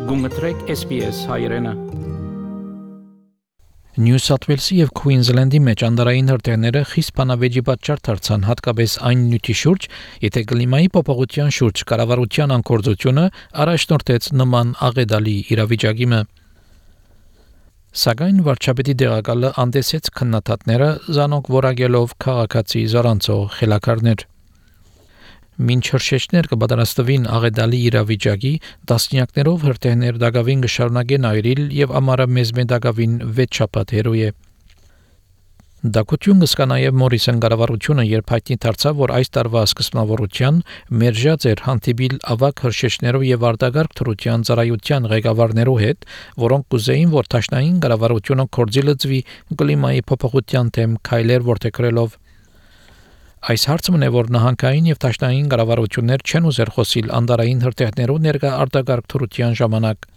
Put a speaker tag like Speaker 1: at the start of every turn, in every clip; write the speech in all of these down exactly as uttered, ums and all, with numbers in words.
Speaker 1: Գումտրեք S B S հայրենը։
Speaker 2: Նյու Սաթ Ուելսի եւ Քուինզլենդի մեջ անդարային հրթիռները խիստ բանավեճի պատճառ դարձան հատկապես այն նյութի շուրջ, եթե կլիմայի փոփոխության շուրջ կառավարության անկորձությունը առաջնորդեց նման աղետալի իրավիճակի։ Սակայն վարչապետի դեղակալը անդեսեց քննադատները զանոք որակելով քաղաքացի զորանցող խելաքարներ։ Մինչ հրշեջներ կպատրաստվին աղետալի իրավիճակի, տասնյակներով հրթիռներ դակավին կշարունակեն այրիլ եւ ամառը մեզ դակավին վեց շաբաթ հերոյ է։ Դակություն կսկա նաև Մորիսոն կառավարությունը, երբ հայտնի դարձավ, որ այս տարվա սկզբնավորության մերժած էր հանդիպիլ ավագ հրշեջներով եւ արտագարկ թրության ծառայության ղեկավարներու հետ, որոնք կուզեին, որ դաշնային կառավարությունը կորձի լծվի կլիմայի փոփոխության դեմ քայլեր որդեգրելով։ Այս հարցը մնե որ նահանգային եւ դաշնային կառավարություններ չեն ուզեր խոսիլ անդարային հրթիռներով ներկա արտագարկ թրության ժամանակ։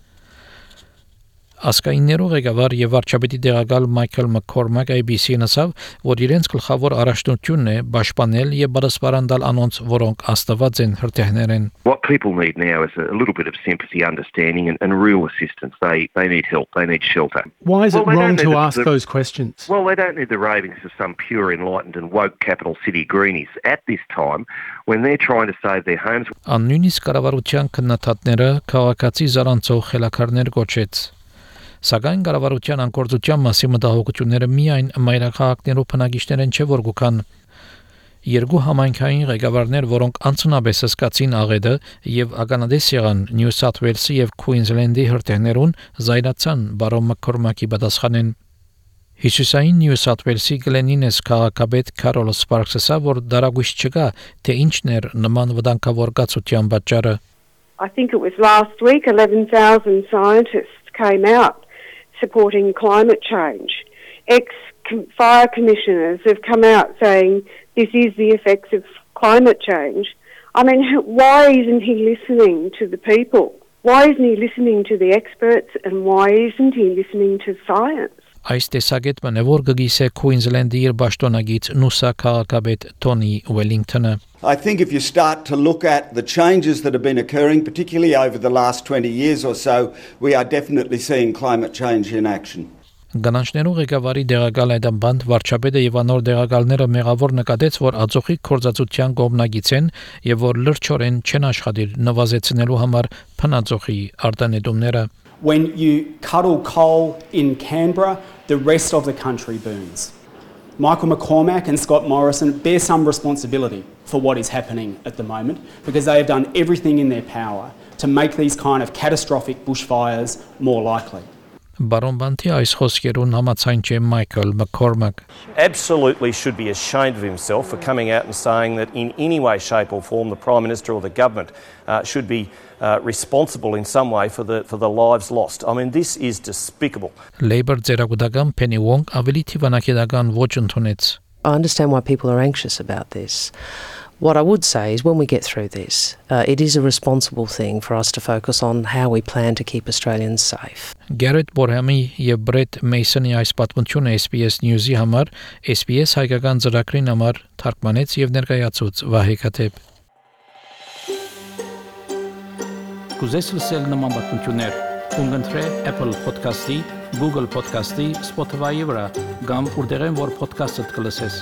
Speaker 2: Ասկայիններով ղեկավար եւ վարչապետի դեղակալ Մայքլ Մաքքորմակ A B C-ին ասավ, որ իրենց գլխավոր առաջնությունն է պաշտպանել եւ բարսպարանդալ անոնց, որոնք աստված են հրթիռներեն։
Speaker 3: What people need now is a little bit of sympathy, understanding and, and real assistance. They they need help, they need shelter.
Speaker 4: Why is
Speaker 3: well,
Speaker 4: it wrong to
Speaker 3: the,
Speaker 4: ask
Speaker 3: the,
Speaker 4: those questions?
Speaker 3: Well, they don't need the ravings of some pure, enlightened and woke capital city greenies at this time when they're trying to save their homes.
Speaker 2: Աննույնիսկ կառավարության քննադատները քաղաքացի զարանցող խելաքարներ գոչեց։ Սակայն կառավարության անկորձության մասին մտահոգությունները միայն մայրաքաղաքներով բնակիչներեն չէ որ գուքան։ Երկու համայնքային ղեկավարներ, որոնք անցնաբես սկացին աղետը եւ ականադես եղան Նյու Սաթ Ուելսի եւ Քուինզլենդի հրթիռներուն, զայրացան բարոն Մաքքորմակի պատասխանեն։ Հիսուսային Նյու Սաթ Ուելսի Գլենինես քաղաքապետ Քարոլ Սպարքսը որ դարագույս չկա, թե ինչն էր նման վտանգավոր կացության պատճառը։
Speaker 5: I think it was last week eleven thousand scientists came out supporting climate change. Ex-fire commissioners have come out saying this is the effects of climate change. I mean, why isn't he listening to the people? Why isn't he listening to the experts and why isn't he listening to science?
Speaker 2: Այս տեսակետն է որ գգիսե Քուինզլենդի իր պաշտոնագիծ Նուսա քաղաքապետ Թոնի Ուելինգթոնը։
Speaker 6: I think if you start to look at the changes that have been occurring, particularly over the last twenty years or so, we are definitely seeing climate change in action.
Speaker 2: Գանանչներու ղեկավարի դեղակալ այդ բանդ վարչապետը եւ անոր դեղակալները մեղավոր նկատեց, որ աջողի կորզածության կողմնագից են եւ որ լրջորեն չեն աշխատիր նվազեցնելու համար փնածողի արտանետումները։
Speaker 7: When you cuddle coal in Canberra, the rest of the country burns. Michael McCormack and Scott Morrison bear some responsibility for what is happening at the moment because they have done everything in their power to make these kind of catastrophic bushfires more likely.
Speaker 2: Բարոն Բանտի այս խոսքերուն համաձայն չէ Michael McCormack.
Speaker 8: Absolutely should be ashamed of himself for coming out and saying that in any way, shape or form the Prime Minister or the government uh, should be uh, responsible in some way for the for the lives lost. I mean, this is despicable.
Speaker 2: Labour ձերագուտական Penny Wong ավելի թիվանակետական ոչ ընդունեց.
Speaker 9: I understand why people are anxious about this. What I would say is when we get through this, uh, it is a responsible thing for us to focus on how we plan to keep Australians safe.
Speaker 2: Garrett Borhamի եւ Brett Mason-ի այս պատմությունը S B S News-ի համար S B S հայկական ծրագրին համար թարգմանեց եւ ներկայացուց Վահե Քաթեփ։
Speaker 1: Կուզես լսել նման պատմություններ, կընտրե Apple Podcast-ի, Google Podcast-ի, Spotify-ի վրա, կամ որտեղեն որ podcast-ը կլսես։